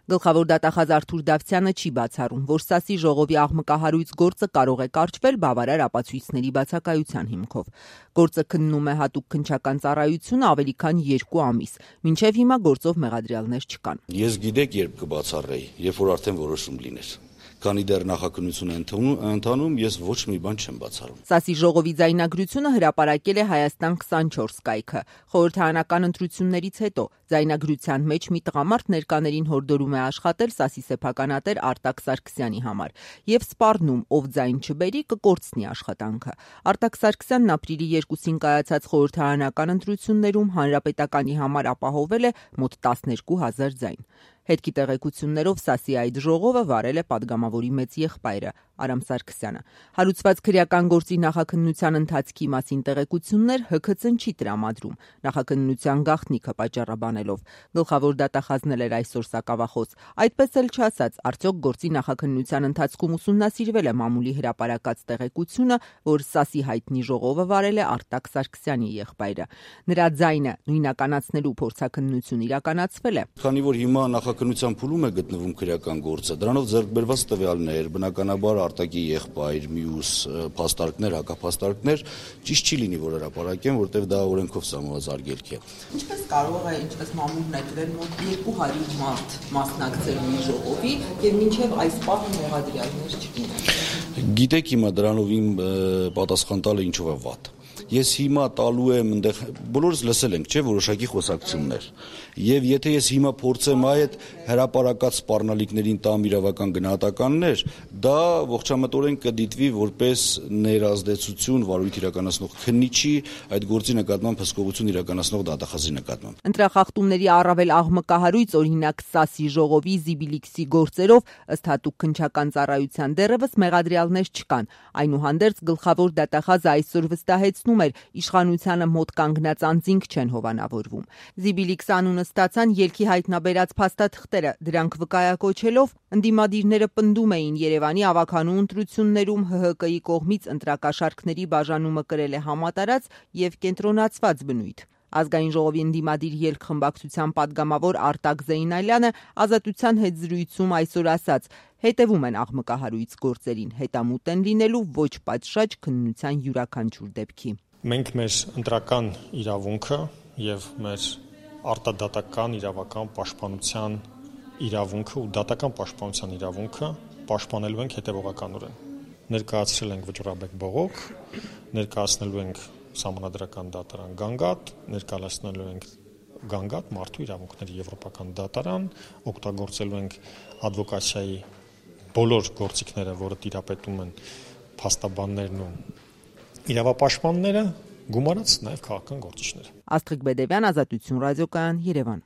Գլխավոր դատախազ Արթուր Դավթյանը չի բացառում, որ ՍԱՍ-ի ժողովի աղմկահարույց գործը կարող է կարճվել բավարար ապացույցների բացակայության հիմքով։ Գործը քննում է հատուկ քննչական ծառայությունը ավելի քան 2 ամիս, մինչև հիմա գործով մեղադրյալներ չկան։ Ես գիտեք երբ կբացառեի, երբ որ արդեն որոշում լիներ։ Քանի դեռ նախաքննություն է ընթանում, ես ոչ մի բան չեմ բացառում։ ՍԱՍ-ի ժողովի ձայնագրությունը հրապարակել է Հայաստան 24 կայքը։ Խորհրդարանական ընտրություններից հետո ձայնագրության մեջ մի տղամարդ ներկաներին հորդորում է աշխատել ՍԱՍ-ի սեփականատեր Արտակ Սարգսյանի համար եւ սպառնում, ով ձայն չբերի, կկորցնի աշխատանքը։ Արտակ Սարգսյանն ապրիլի 2-ին կայացած խորհրդարանական ընտրություններում հանրապետականի համար ապահովել է մոտ 12,000 ձայն։ Հետքի տեղեկություններով ՍԱՍ-ի այդ ժողովը վարել է падգամավորի մեծ եղբայրը Արամ Սարգսյանը։ Հարուցված քրեական գործի նախաքննության ընթացքի մասին տեղեկություններ ՀՔՑ-ն չի տրամադրում, նախաքննության գաղտնիքը պատճառաբանելով։ Գլխավոր դատախազն էլ էր այսօր սակավախոս։ Այդպես էլ չասած, արդյոք գործի նախաքննության ընթացքում ուսումնասիրվել է մամուլի հրապարակած տեղեկությունը, որ ՍԱՍ-ի հայտնի ժողովը վարել է Արտակ Սարգսյանի եղբայրը։ Նրա ձայնը նույնականացնելու փորձաքննություն իրականացվել է։ Քանի որ հիմա նախաքննության փուլում է գտնվում քրեական գործը, դրանով ձեռք բերված տվյալներ, բնականաբար Արտակի եղբայր, մյուս փաստարկներ, հակափաստարկներ ճիշտ չի լինի, որ հրապարակեն, որտեղ դա օրենքով սահմանված արգելք է։ Ինչպես կարող է, ինչպես մամուլն է գրել, մոտ 200 մարդ մասնակցել մի ժողովի եւ մինչեւ այս պահը մեղադրյալներ չկին։ Գիտեք հիմա դրանով իմ պատասխան տալը ինչով է վատ։ Ես հիմա տալու եմ այնտեղ բոլորս լսել ենք, չէ, որոշակի խոսակցություններ։ Եվ եթե ես հիմա փորձեմ այդ հրապարակած սպառնալիքներին տամ իրավական գնահատականներ, դա ողջամտորեն կդիտվի որպես ներազդեցություն վարույթ իրականացնող քննիչի այդ գործի նկատմամբ հսկողություն իրականացնող դատախազի նկատմամբ։ Ընտրախախտումների առավել աղմկահարույց օրինակ ՍԱՍ-ի ժողովի Զիբիլիքսի գործերով ըստ հատուկ քննչական ծառայության դեռևս մեղադրյալներ չկան։ Այնուհանդերձ գլխավոր դատախազը այսօր վստահեցնում էր, իշխանությանը մոտ կանգնած անձինք չեն հովանավորվում։ Զիբիլիքս անունը ստացան ելքի հայտնաբերած փաստաթղթերը, դրանք վկայակոչելով ընդդիմադիրները պնդում էին Երևանի ավագանու ընտրություններում ՀՀԿ-ի կողմից ընտրակաշառքների բաժանումը կրել է համատարած եւ կենտրոնացված բնույթ։ Ազգային ժողովի ընդդիմադիր ելք խմբակցության падգամավոր Արտակ Զեյնալյանը Ազատության հետ զրույցում այսօր ասաց. հետևում են աղմկահարույց գործերին, հետամուտ են լինելու ոչ պատշաճ քննության յուրաքանչյուր դեպքի։ Մենք մեր ընտրական իրավունքը եւ մեր արտադատական իրավական պաշտպանության իրավունքը ու դատական պաշտպանության իրավունքը պաշտպանելու ենք հետևողականորեն։ Ներկայացրել ենք վճռաբեկ բողոք, ներկայացնելու ենք Սահմանադրական դատարան Գանգատ, ներկայացնելու ենք Գանգատ մարդու իրավունքների եվրոպական դատարան, օգտագործելու ենք ադվոկացիայի բոլոր գործիքները, որը տիրապետում են փաստաբաններն ու իրավապաշտպանները, գումարած նաև քաղաքական գործիչները։ Աստղիկ Բեդևյան, Ազատություն ռադիոկայան, Երևան։